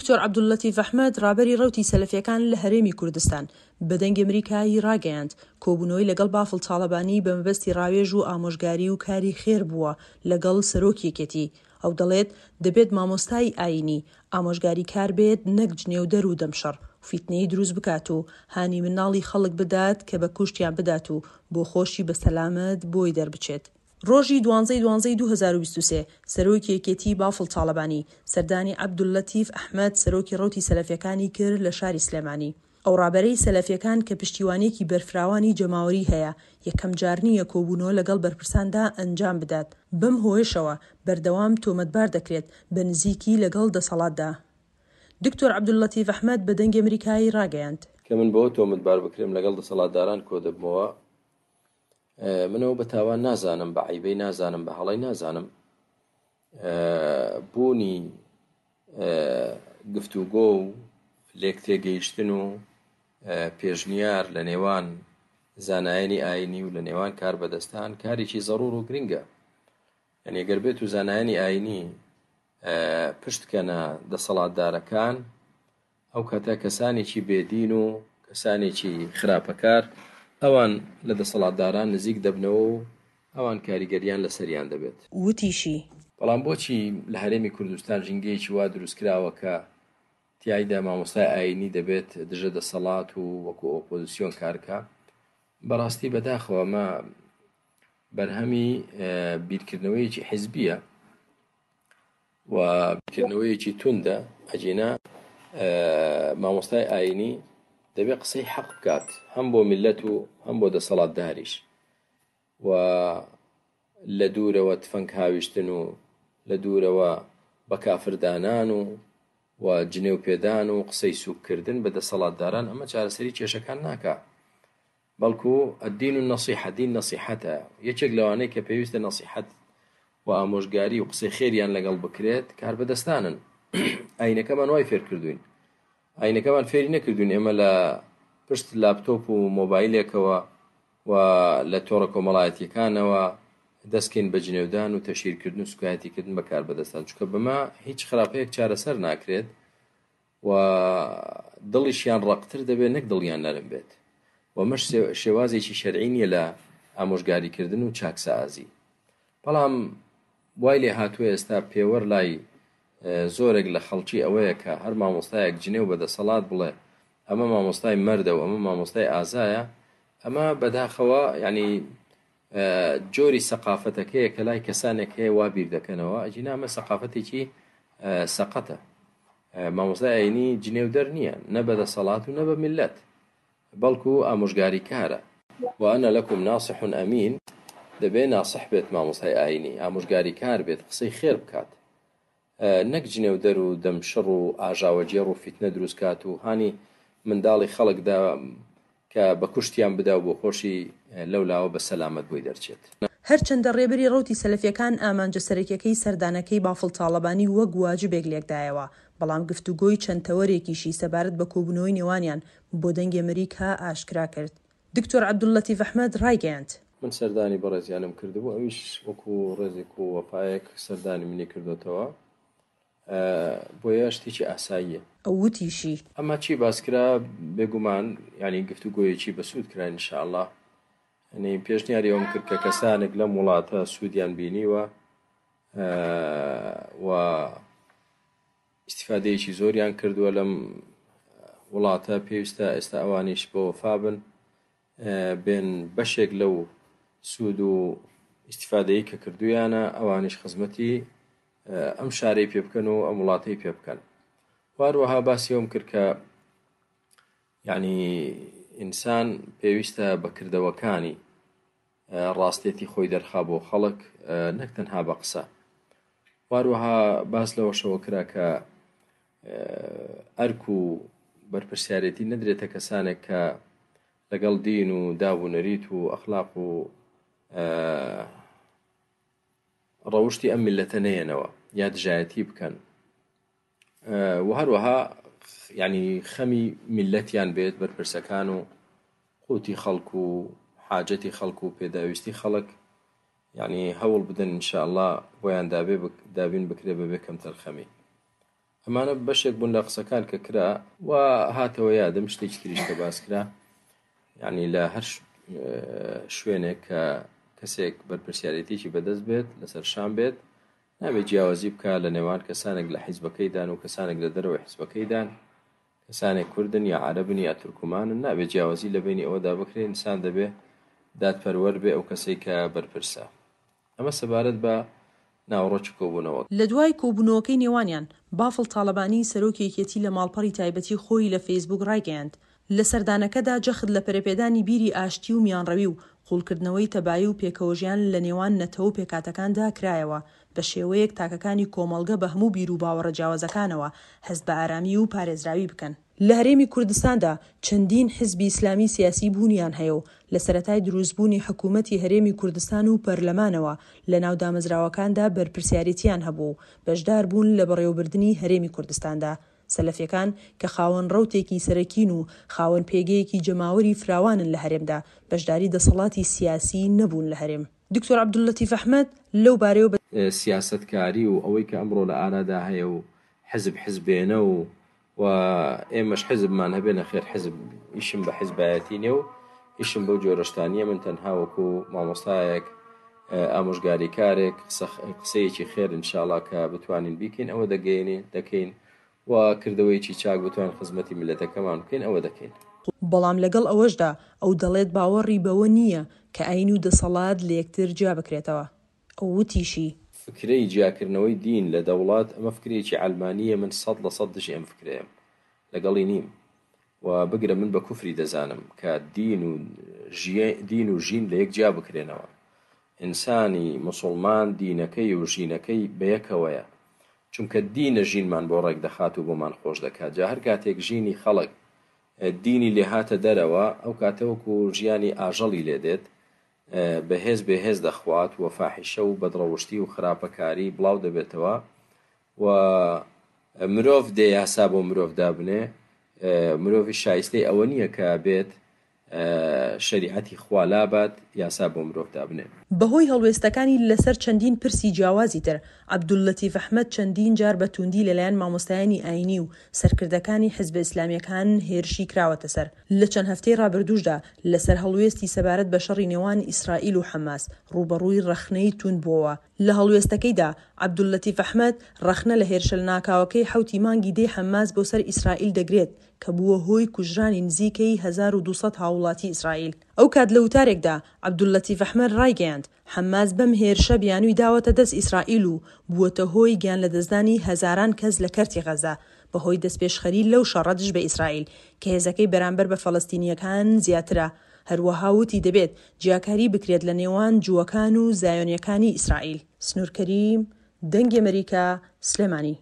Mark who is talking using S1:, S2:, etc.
S1: دکتۆر عەبدوللەتیف ئەحمەد، ڕابەری ڕەوتی سەلەفیەکان لە هەرێمی کوردستان، بە دەنگی ئەمریکای ڕاگەیاند، کۆبوونەوەی لەگەڵ بافڵ تاڵەبانی بە مەبەستی ڕاوێژ و ئامۆژگاری و کاری خێر بووە لەگەڵ سەرۆکی یەکێتی. ئەو دەڵێت، دەبێت مامۆستای ئایینی، ئامۆژگاریکار بێت نەک جنێودەر و دەمشەڕ و فیتنەیی دروست بکات و هانی مناڵی خەڵک بدات کە بە کوشتیان بدات و بۆ خۆشی بە سەلامەت بۆی دەربچێت. ڕۆژی دوانزەی دوانزەی 2023، سەرۆکی یەکێتی بافڵ تاڵەبانی، سەردانی عەبدوللەتیف ئەحمەد سەرۆکی ڕەوتی سەلەفیەکانی کرد لە شاری سلێمانی. ئەو ڕابەرەی سەلەفیەکان کە پشتیوانیەکی بەرفراوانی جەماوەری هەیە، یەکەم جار نییە کۆبوونەوە لەگەڵ بەرپرساندا ئەنجام بدات، بەم هۆیەشەوە بەردەوام تۆمەتبار دەکرێت بە نزیکی لەگەڵ دەسەڵاتدا. دکتۆر عەبدوللەتیف ئەحمەد بە دەنگی ئەمریکای ڕاگەیاند.
S2: کە من بەوە تۆمەتبار بکرێم لەگەڵ دەسەڵاتداران کۆدەبمەوە، من ئەوە بە تاوان نازانم، بە عەیبەی نازانم، بە هەڵەی نازانم. بوونی گفتوگۆ و لێکتێگەیشتن و پێشنیار لە نێوان زانایانی ئاینی و لە نێوان کاربەدەستان کارێکی زەڕور و گرنگە. یعنی گەر بێت و زانایانی ئاینی پشتکەنە دەسەڵاتدارەکان ئەو کاتە کەسانێکی بێ دین و کەسانێکی خراپەکار ئەوان لە دەسەڵاتداران نزیک دەبنەوە و ئەوان کاریگەریان لەسەریان دەبێت.
S1: وتیشی.
S2: بەڵام بۆچی لە هەرێمی کوردستان ژینگەیەکی وا دروستکراوە کە تیایدا مامۆستای ئایینی دەبێت دژە دەسەڵات و وەکو ئۆپۆزسیۆن کارکا؟ بەڕاستی بەداخەوە ئەمە بەرهەمی بیرکردنەوەیەکی حیزبییە. و بیرکردنەوەیەکی توندە، ئەگینا مامۆستای ئاینی دەبێت قسەی حەق بکات هەم بۆ میللەت و هەم بۆ دەسەڵاتداریش و لە دوورەوە تفەنگ هاویشتن و لە دوورەوە بە کافردانان و و جنێو پێدان و قسەی سوککردن بە دەسەڵاتداران ئەمە چارەسەری کێشەکان ناکا. بەڵکو، الدین النصیحە، دین نەسیحەتە، یەکێک لەوانەی کە پێویستە نەسیحەت و ئامۆژگاری و قسەی خێریان لەگەڵ بکرێت کاربەدەستانن، ئاینەکەمان وای فێرکردوین، ئاینەکەمان فێری نەکردوین ئێمە لە پشت لاپتۆپ و مۆبایلێکەوە و لە تۆڕە کۆمەڵایەتیەکانەوە دەستکەین بە جنێودان و تەشهیرکردن و سوکایەتیکردن بە کاربەدەستان، چونکە بەمە هیچ خراپەیەک چارەسەر ناکرێت. و دڵیشیان ڕەقتر دەبێت نەک دڵیان نەرم بێت و ئەمەش شێوازێکی شەرعی نییە لە ئامۆژگاریکردن و چاکسازی بەڵام وای لێ هاتووە ئێستا پێوەر لای زۆرێک لە خەڵکی ئەوەیە کە هەر مامۆستایەک جنێو بە دەسەڵات بڵێ ئەمە مامۆستای مەردە و ئەمە مامۆستای ئازایە ئەمە بەداخەوە یعنی جۆری سەقافەتەکەیە کە لای کەسانێک هەیە وا بیر دەکەنەوە ئەگینا ئەمە سەقافەتێکی سەقەتە مامۆستای ئاینی جنێودەر نییە نە بە دەسەڵات و نە بە میللەت بەڵکو ئامۆژگاری کارە وأنا لكم ناصح أمين دەبێ ناسح بێت مامۆستای ئاینی ئامۆژگاری کار بێت قسەی خێر بکات نەک جنێودەر و دەمشڕ و ئاژاوەگێڕ و فیتنە دروست کات و هانی منداڵی خەڵک دا کە بە کوشتیان بدا و بۆ خۆشی لەو لاوە بە سەلامەت بۆی دەرچێت.
S1: هەرچەندە ڕێبەری ڕەوتی سەلەفیەکان ئامانجە سەرەکیەکەی سەردانەکەی بافڵ تاڵەبانی وەک واجبێک لێکدایەوە، بەڵام گفتوگۆی چەند تەوەرێکیشی سەبارەت بە کۆبوونەوەی نێوانیان بۆ دەنگی ئەمریکا ئاشکرا کرد. دکتۆر عەبدوللەتیف ئەحمەد ڕایگەیاند.
S2: من سەردانی بەڕێزیانم کردبوو، ئەویش وەکو ڕێزێک و وەفایەک سەردانی منی کردۆتەوە، بۆیە شتێکی ئاساییە.
S1: ئەو وتیشی.
S2: ئەما چی باس کرا، بێگومان یانی گفتوگۆیەکی بەسوود کرا ان شاء اللە، یانی پێشنیاری ئەوەم کرد کە کەسانێک لەم وڵاتە سوودیان بینیوە و ئیستیفادەیەکی زۆریان کردووە لەم وڵاتە، پێویستە ئێستا ئەوانیش بە وەفا بن بێن بەشێک لەو سوود و ئیستیفادەی کە کردویانە ئەوانیش خزمەتی ئەم شارەی پێ بکەن و ئەم وڵاتەی پێ بکەن واروەها باسی ئەوم کرد کە یعنی ئینسان پێویستە بە کردەوەکانی ڕاستێتی خۆی دەرخا بۆ خەڵک نەک تەنها بە قسە واروەها باس لەوەشەوە کرا کە ئەرک و بەرپرسیارێتی نەدرێتە کەسانێک کە لەگەڵ دین و داب و نەریت و ئەخلاق و ڕەوشتی ئەم میللەتە نەیەنەوە یا دژایەتی بکەن و هەروەها یعنی خەمی میللەتیان بێت بەرپرسەکان و قوتی خەڵک و حاجەتی خەڵک و پێداویستی خەڵک یعنی هەوڵ بدەن ان شاء اللە بۆیان دابێ دابین بکرێ بەبێ کەمتەرخەمی. ئەمانە بەشێک بوون لە قسەکان کە کرا و هاتەوە یادم شتێکی تریش کە باس کرا یعنی لە هەر شوێنێک کە کەسێک بەرپرسیارێتیی بەدەست بێت لەسەر شان بێت نابێت جیاوازی بکا لە نێوان کەسانێک لە حیزبەکەیدان و کەسانێک لە دەرەوەی حیزبەکەیدان کەسانێک کوردن یا عەرەبن یا تورکمانن نابێت جیاوازی لە بەینی ئەوەدا بکرێ ئینسان دەبێ دادپەروەر بێ ئەو کەسەی کە بەرپرسە ئەمە سەبارەت بە ناوەڕۆکی کۆبوونەوەکە.
S1: لە دوای کۆبوونەوەکەی نێوانیان، بافڵ تاڵەبانی، سەرۆکی یەکێتی لە ماڵپەڕی تایبەتی خۆی لە فەیسبووک ڕایگەیاند، لە سەردانەکەدا جەخت لە پەرەپێدانی بیری ئاشتی و میانڕەوی و قووڵکردنەوەی تەبایی و پێکەوەژیان لە نێوان نەتەوە و پێکهاتەکاندا کرایەوە بە شێوەیەک تاکەکانی کۆمەڵگە بە هەموو بیروباوەڕە جیاوازەکانەوە هەست بە ئارامی و پارێزراوی بکەن. لە هەرێمی کوردستاندا چەندین حزبی ئیسلامی سیاسی بوونیان هەیە و لە سەرەتای دروستبوونی حکوومەتی هەرێمی کوردستان و پەرلەمانەوە لەناو دامەزراوەکاندا بەرپرسیارێتییان هەبووە و بەشدار بوون لە بەڕێوەبردنی هەرێمی کوردستاندا. سەلەفیەکان کە خاوەن ڕەوتێکی سەرەکین و خاوەن پێگەیەکی جەماوەری فراوانن لە هەرێمدا، بەشداری دەسەڵاتی سیاسی نەبوون لە هەرێم. دکتۆر عەبدوللەتیف ئەحمەد لەو بارەیەوە بە.
S2: سیاسەتکاری و ئەوەی کە ئەمڕۆ لە ئارادا هەیە و حزب حزبێنە و و ئێمەش حزبمان هەبێ نەخێر حزب ئیشم بە حزبایەتی نیە و ئیشم بەو جۆرە شتان نیە من تەنها وەکو مامۆستایەک ئامۆژگاریکارێک قسەیەکی خێر انشاءاللە کە بتوانین بیکەین ئەوە دەگەیەنین دەکەین و کردەوەیەکی چاک بتوانین خزمەتی میللەتەکەمان بکەین ئەوە دەکەین.
S1: بەڵام لەگەڵ ئەوەشدا ئەو دەڵێت باوەڕی بەوە نییە کە ئایین و دەسەڵات لەیەکتر جیابکرێتەوە. ئەو وتیشی.
S2: فکرەی جیاکردنەوەی دین لە دەوڵەت ئەمە فکرەیەکی عەلمانییە من 100% دژی ئەم فکرەیەم لەگەڵی نیم و بگرە من بە کوفری دەزانم کە دین و دین و ژین لە یەک جیا بکرێنەوە ئینسانی موسوڵمان دینەکەی و ژینەکەی بەیەکەوەیە چونکە دینە ژینمان بۆ ڕێک دەخات و بۆمان خۆش دەکات جا هەر کاتێک ژینی خەڵک دینی لێهاتە دەرەوە ئەو کاتە وەکو ژیانی ئاژەڵی لێ دێت بەهێز بێهێز دەخوات و فاحیشە و بەدڕەوشتی و خراپەکاری بڵاو دەبێتەوە و مرۆڤ دێ یاسا بۆ مرۆڤ دابنێ مرۆڤی شایستەی ئەوە نییە کە بێت شەریعەتی خوا لابات یاسا بۆ مرۆڤ دابنێ.
S1: بەهۆی هەڵوێستەکانی لەسەر چەندین پرسی جیاوازی تر، عەبدوللەتیف ئەحمەد چەندین جار بە تووندی لەلایەن مامۆستایانی ئایینی و سەرکردەکانی حزبە ئیسلامییەکان هێرشی کراوەتە سەر. لە چەند هەفتەی ڕابردووشدا لەسەر هەڵوێستی سەبارەت بە شەڕی نێوان ئیسرائیل و حەماس ڕووبەڕووی ڕەخنەی تووند بووەوە. لە هەڵوێستەکەیدا عەبدوللەتیف ئەحمەد ڕەخنە لە هێرشە لەناکاوەکەی حەوتی مانگی دەی حەماس بۆ سەر ئیسرائیل دەگرێت کە بووە هۆی کوژرانی نزیکەی 1200 هاووڵاتی ئیسرائیل. ئەوکات لە وتارێکدا عەبدوللەتیف ئەحمەد ڕایگەیاند، حەماس بەم هێرشە بیانووی داوەتە دەست ئیسرائیل و بووەتە هۆی گیانلەدەستدانی هەزاران کەس لە کەرتی غەزە بەهۆی دەستپێشخەری لەو شەڕە دژ بە ئیسرائیل کە هێزەکەی بەرامبەر بە فەلەستینییەکان زیاترە. هەروەها وتی دەبێت جیاکاری بکرێت لە نێوان جووەکان و زایۆنییەکانی ئیسرائیل. سنوور کەریم، دەنگی ئەمەریکا، سلێمانی.